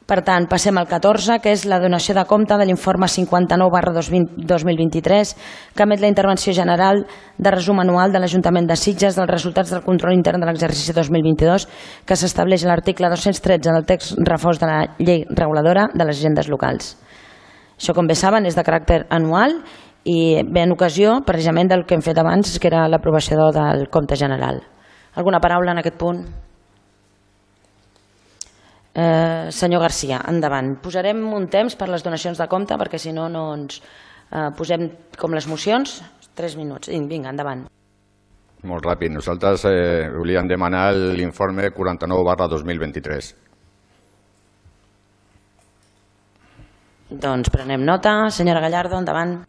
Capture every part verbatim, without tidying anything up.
Per tant, passem al catorze, que és la donació de compte de l'informe cinquanta-nou barra dos mil vint-i-tres, que emet la intervenció general de resum anual de l'Ajuntament de Sitges dels resultats del control intern de l'exercici dos mil vint-i-dos, que s'estableix a l'article dos-cents tretze del text refós de la llei reguladora de les agendes locals. Això, com bé saben, és de caràcter anual i ve en ocasió, precisament, del que hem fet abans, que era l'aprovació del compte general. Alguna paraula en aquest punt? Eh, senyor Garcia, endavant. Posarem un temps per les donacions de compte perquè si no, no ens eh, posem com les mocions. Tres minuts. Vinga, endavant. Molt ràpid. Nosaltres eh, volíem demanar l'informe quaranta-nou barra dos mil vint-i-tres. Doncs prenem nota. Senyora Gallardo, endavant.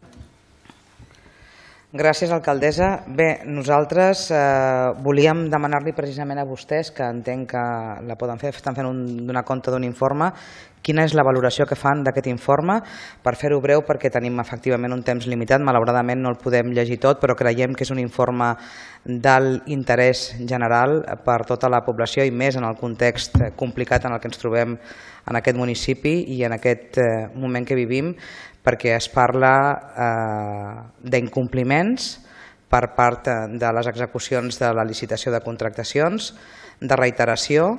Gràcies, alcaldessa. Bé, nosaltres eh, volíem demanar-li precisament a vostès, que entenc que la poden fer, estan fent un, donar compte d'un informe, quina és la valoració que fan d'aquest informe, per fer-ho breu perquè tenim efectivament un temps limitat, malauradament no el podem llegir tot, però creiem que és un informe d'alt interès general per tota la població i més en el context complicat en el que ens trobem en aquest municipi i en aquest eh, moment que vivim, perquè es parla eh, d'incompliments per part de les execucions de la licitació de contractacions, de reiteració,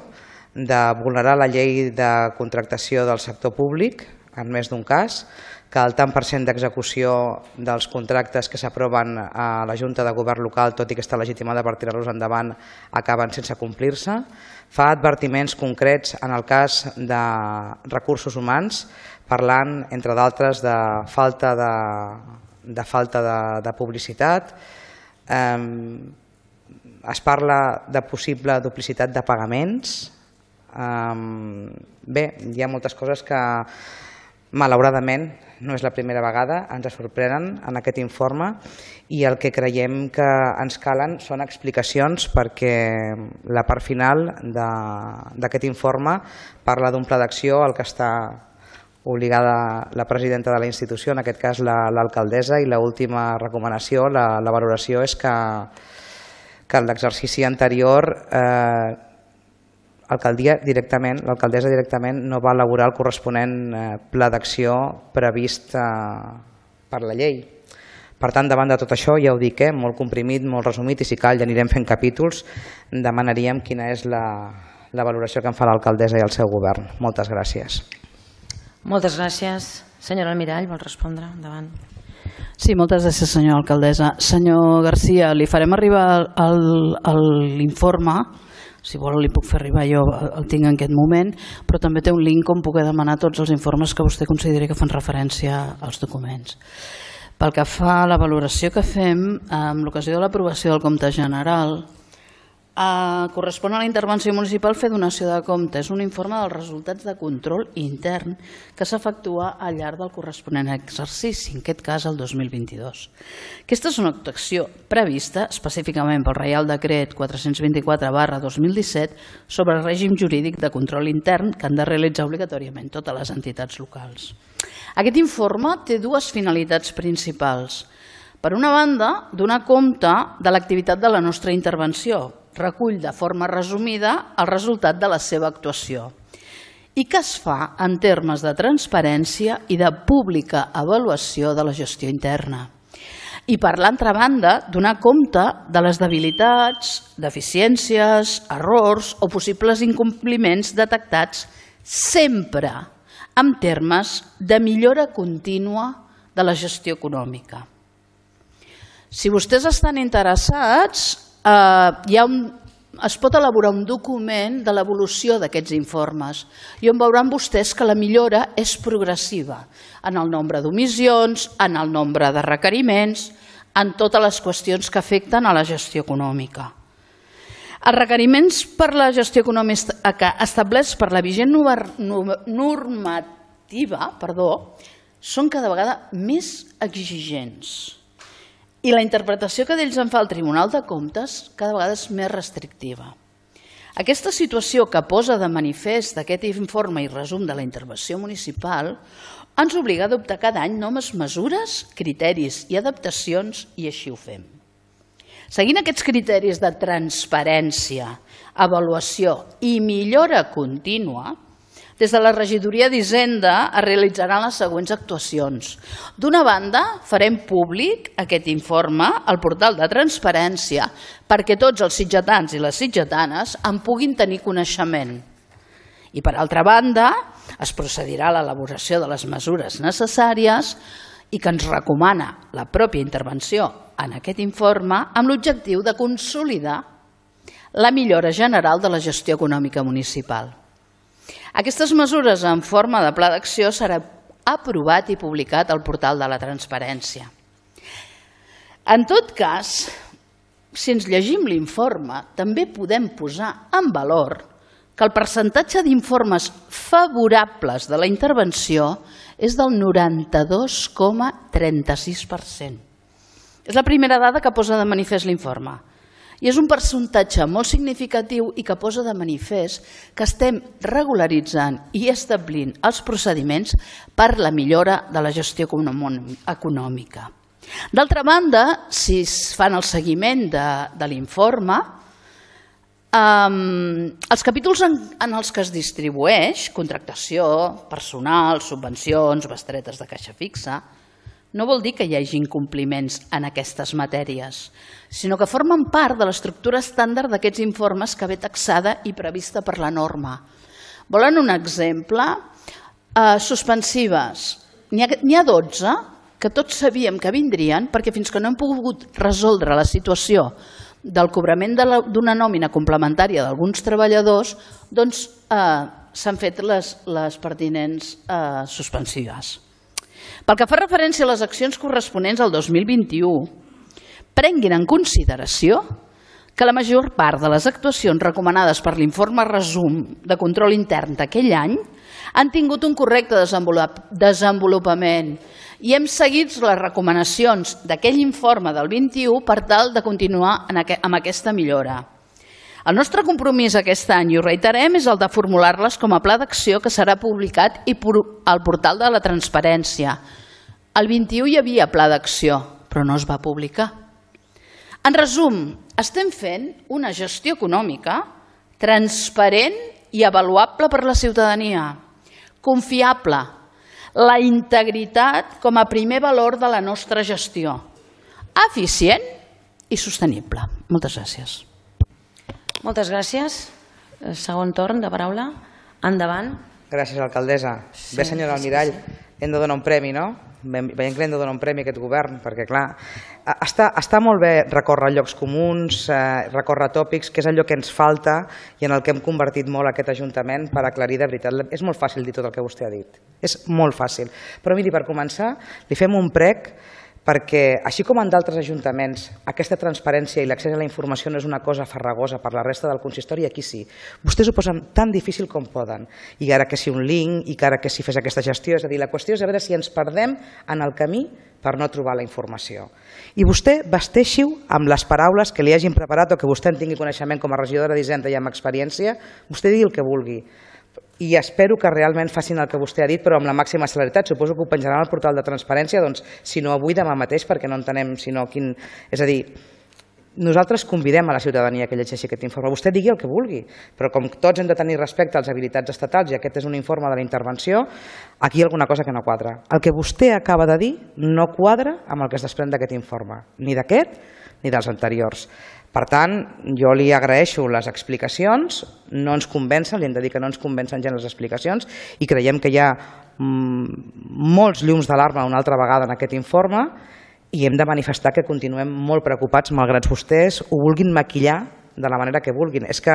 de vulnerar la llei de contractació del sector públic, en més d'un cas, que el tant per cent d'execució dels contractes que s'aproven a la Junta de Govern local, tot i que està legitimada per tirar-los endavant, acaben sense complir-se. Fa advertiments concrets en el cas de recursos humans, parlant, entre d'altres, de falta de, de, falta de, de publicitat. Eh, es parla de possible duplicitat de pagaments. Eh, bé, hi ha moltes coses que, malauradament, no és la primera vegada, ens sorprenen en aquest informe i el que creiem que ens calen són explicacions perquè la part final d'aquest informe parla d'un pla d'acció al que està obligada la presidenta de la institució, en aquest cas l'alcaldessa, i l'última recomanació, la, la valoració és que, que l'exercici anterior eh, l'alcaldia directament, l'alcaldessa directament no va elaborar el corresponent eh, pla d'acció previst eh, per la llei. Per tant, davant de tot això, ja ho dic, eh, molt comprimit, molt resumit, i si cal ja anirem fent capítols, demanaríem quina és la, la valoració que en fa l'alcaldessa i el seu govern. Moltes gràcies. Moltes gràcies. Senyora Almirall, vol respondre? Endavant. Sí, moltes gràcies, senyora alcaldessa. Senyor Garcia, li farem arribar l'informe, si vol li puc fer arribar, jo el tinc en aquest moment, però també té un link on puc demanar tots els informes que vostè consideri que fan referència als documents. Pel que fa a la valoració que fem, amb l'ocasió de l'aprovació del compte general, Uh, correspon a la intervenció municipal fer donació de compte. És un informe dels resultats de control intern que s'efectua al llarg del corresponent exercici, en aquest cas el dos mil vint-i-dos. Aquesta és una actuació prevista específicament pel Reial Decret quatre-cents vint-i-quatre barra dos mil disset sobre el règim jurídic de control intern que han de realitzar obligatòriament totes les entitats locals. Aquest informe té dues finalitats principals. Per una banda, donar compte de l'activitat de la nostra intervenció, recull de forma resumida el resultat de la seva actuació i que es fa en termes de transparència i de pública avaluació de la gestió interna. I per l'altra banda, donar compte de les debilitats, deficiències, errors o possibles incompliments detectats sempre en termes de millora contínua de la gestió econòmica. Si vostès estan interessats, Uh, hi ha un, es pot elaborar un document de l'evolució d'aquests informes i on veuran vostès que la millora és progressiva en el nombre d'omissions, en el nombre de requeriments, en totes les qüestions que afecten a la gestió econòmica. Els requeriments per la gestió econòmica establerts per la vigent normativa perdó, són cada vegada més exigents. I la interpretació que d'ells en fa el Tribunal de Comptes cada vegada és més restrictiva. Aquesta situació que posa de manifest d'aquest informe i resum de la intervenció municipal ens obliga a adoptar cada any noves mesures, criteris i adaptacions i així ho fem. Seguint aquests criteris de transparència, avaluació i millora contínua, Des de la regidoria d'Hisenda es realitzaran les següents actuacions. D'una banda, farem públic aquest informe al portal de transparència perquè tots els sitgetans i les sitgetanes en puguin tenir coneixement. I per altra banda, es procedirà a l'elaboració de les mesures necessàries i que ens recomana la pròpia intervenció en aquest informe amb l'objectiu de consolidar la millora general de la gestió econòmica municipal. Aquestes mesures en forma de pla d'acció seran aprovat i publicat al portal de la transparència. En tot cas, si ens llegim l'informe, també podem posar en valor que el percentatge d'informes favorables de la intervenció és del noranta-dos coma trenta-sis per cent. És la primera dada que posa de manifest l'informe. I és un percentatge molt significatiu i que posa de manifest que estem regularitzant i establint els procediments per la millora de la gestió econòmica. D'altra banda, si es fan el seguiment de, de l'informe, eh, els capítols en, en els que es distribueix, contractació, personal, subvencions, bestretes de caixa fixa, no vol dir que hi hagi incompliments en aquestes matèries, sinó que formen part de l'estructura estàndard d'aquests informes que ve taxada i prevista per la norma. Volen un exemple? Eh, suspensives. N'hi ha, n'hi ha dotze que tots sabíem que vindrien perquè fins que no hem pogut resoldre la situació del cobrament d'una nòmina complementària d'alguns treballadors, doncs eh, s'han fet les, les pertinents eh, suspensives. Pel que fa referència a les accions corresponents al dos mil vint-i-u, prenguin en consideració que la major part de les actuacions recomanades per l'informe resum de control intern d'aquell any han tingut un correcte desenvolupament i hem seguit les recomanacions d'aquell informe del vint-i-u per tal de continuar amb aquesta millora. El nostre compromís aquest any, i ho reiterem, és el de formular-les com a pla d'acció que serà publicat al portal de la transparència. El vint-i-u hi havia pla d'acció, però no es va publicar. En resum, estem fent una gestió econòmica transparent i avaluable per la ciutadania, confiable, la integritat com a primer valor de la nostra gestió, eficient i sostenible. Moltes gràcies. Moltes gràcies. Segon torn de paraula. Endavant. Gràcies, alcaldessa. Bé, senyora Almirall, hem de donar un premi, no? Veiem que hem de donar un premi a aquest govern, perquè, clar, està, està molt bé recórrer llocs comuns, eh, recórrer tòpics, que és allò que ens falta i en el que hem convertit molt aquest Ajuntament per aclarir de veritat. És molt fàcil dir tot el que vostè ha dit. És molt fàcil. Però miri, per començar, li fem un prec perquè, així com en d'altres ajuntaments, aquesta transparència i l'accés a la informació no és una cosa farragosa per la resta del consistori, aquí sí. Vostès ho posen tan difícil com poden. I ara que si un link, i que ara que si fes aquesta gestió, és a dir, la qüestió és a veure si ens perdem en el camí per no trobar la informació. I vostè vesteixi-ho amb les paraules que li hagin preparat o que vostè en tingui coneixement com a regidora d'Hisenda i amb experiència, vostè digui el que vulgui. I espero que realment facin el que vostè ha dit, però amb la màxima celeritat. Suposo que ho penjaran al portal de transparència, doncs, si no avui, demà mateix, perquè no entenem sinó quin... És a dir, nosaltres convidem a la ciutadania que llegeixi aquest informe. Vostè digui el que vulgui, però com tots hem de tenir respecte als habilitats estatals i aquest és un informe de la intervenció, aquí hi ha alguna cosa que no quadra. El que vostè acaba de dir no quadra amb el que es desprèn d'aquest informe, ni d'aquest ni dels anteriors. Per tant, jo li agraeixo les explicacions, no ens convencen, li hem de dir que no ens convencen gens les explicacions i creiem que hi ha molts llums d'alarma una altra vegada en aquest informe i hem de manifestar que continuem molt preocupats malgrat vostès ho vulguin maquillar de la manera que vulguin. És que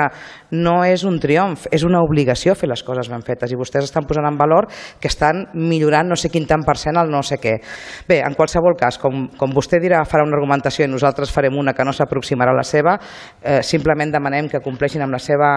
no és un triomf, és una obligació fer les coses ben fetes i vostès estan posant en valor que estan millorant no sé quin tant per cent el no sé què. Bé, en qualsevol cas, com, com vostè dirà, farà una argumentació i nosaltres farem una que no s'aproximarà a la seva, eh, simplement demanem que compleixin amb la, seva,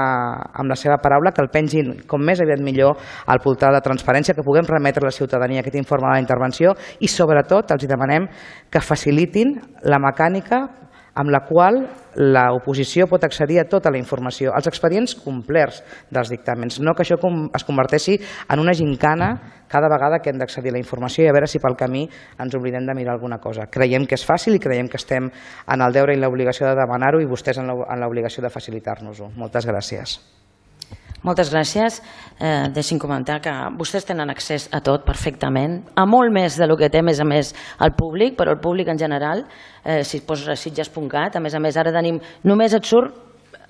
amb la seva paraula, que el pengin com més aviat millor al portal de transparència, que puguem remetre a la ciutadania aquest informe de la intervenció i sobretot els demanem que facilitin la mecànica amb la qual l'oposició pot accedir a tota la informació, als expedients complerts dels dictàmens, no que això es converteixi en una gincana cada vegada que hem d'accedir a la informació i a veure si pel camí ens oblidem de mirar alguna cosa. Creiem que és fàcil i creiem que estem en el deure i l'obligació de demanar-ho i vostès en l'obligació de facilitar-nos-ho. Moltes gràcies. Moltes gràcies. Eh, deixin comentar que vostès tenen accés a tot perfectament, a molt més del que té, a més a més, el públic, però el públic en general, eh, si es posa a sitges punt cat, a més a més, ara tenim, només et surt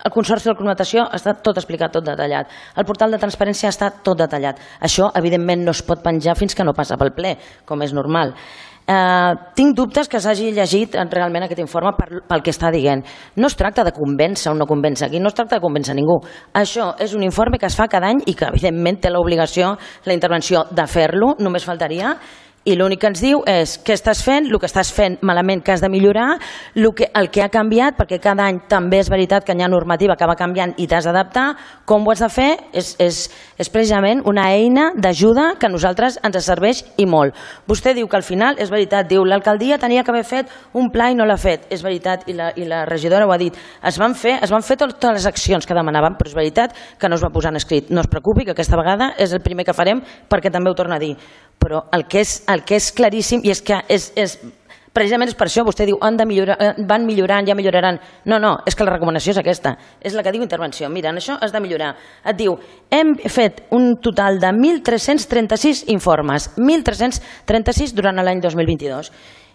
el Consorci de la Connotació, està tot explicat, tot detallat. El portal de transparència està tot detallat. Això, evidentment, no es pot penjar fins que no passa pel ple, com és normal. Eh, tinc dubtes que s'hagi llegit realment aquest informe per, pel que està dient. No es tracta de convèncer o no convèncer aquí, no es tracta de convèncer ningú. Això és un informe que es fa cada any i que evidentment té l'obligació, la intervenció de fer-lo, només faltaria, i l'únic que ens diu és què estàs fent, el que estàs fent malament que has de millorar, el que, el que ha canviat, perquè cada any també és veritat que hi ha normativa que va canviant i t'has d'adaptar, com ho has de fer, és, és, és precisament una eina d'ajuda que a nosaltres ens serveix i molt. Vostè diu que al final, és veritat, diu l'alcaldia tenia que haver fet un pla i no l'ha fet, és veritat, i la, i la regidora ho ha dit, es van fer, es van fer totes les accions que demanaven, però és veritat que no es va posar en escrit. No es preocupi, que aquesta vegada és el primer que farem perquè també ho torna a dir. Però el que és, el que és claríssim, i és que és, és, precisament és per això, vostè diu han de millorar, van millorant, ja milloraran. No, no, és que la recomanació és aquesta, és la que diu intervenció. Mira, en això has de millorar. Et diu, hem fet un total de mil tres-cents trenta-sis informes, mil tres-cents trenta-sis durant l'any dos mil vint-i-dos,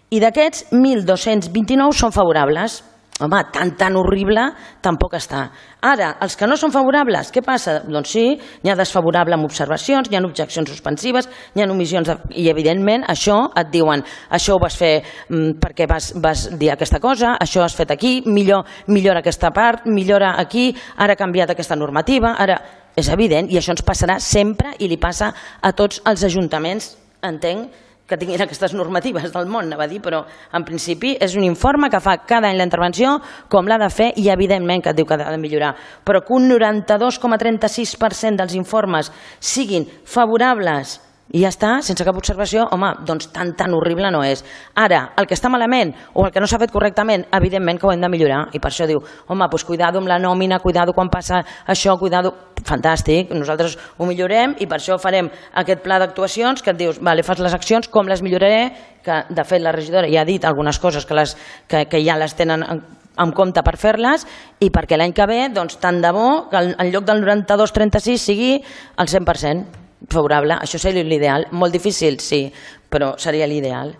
i d'aquests mil dos-cents vint-i-nou són favorables. Home, tan, tan horrible tampoc està. Ara, els que no són favorables, què passa? Doncs sí, n'hi ha desfavorable amb observacions, n'hi ha objeccions suspensives, n'hi ha omissions, de... i evidentment això et diuen, això ho vas fer mm, perquè vas, vas dir aquesta cosa, això has fet aquí, millor, millora aquesta part, millora aquí, ara ha canviat aquesta normativa, ara... És evident, i això ens passarà sempre i li passa a tots els ajuntaments, entenc, que tinguin aquestes normatives del món, anava a dir, però en principi és un informe que fa cada any la intervenció com l'ha de fer i evidentment que et diu que ha de millorar, però que un noranta-dos coma trenta-sis per cent dels informes siguin favorables i ja està, sense cap observació, home, doncs tan tan horrible no és. Ara, el que està malament o el que no s'ha fet correctament, evidentment que ho hem de millorar i per això diu, home, doncs cuidado amb la nòmina, cuidado quan passa això, cuidado... Fantàstic, nosaltres ho millorem i per això farem aquest pla d'actuacions que et dius, vale, fas les accions, com les milloraré, que de fet la regidora ja ha dit algunes coses que, les, que, que ja les tenen en, en compte per fer-les i perquè l'any que ve, doncs tant de bo que en lloc del noranta-dos coma trenta-sis sigui el cent per cent favorable, això seria l'ideal, molt difícil, sí, però seria l'ideal.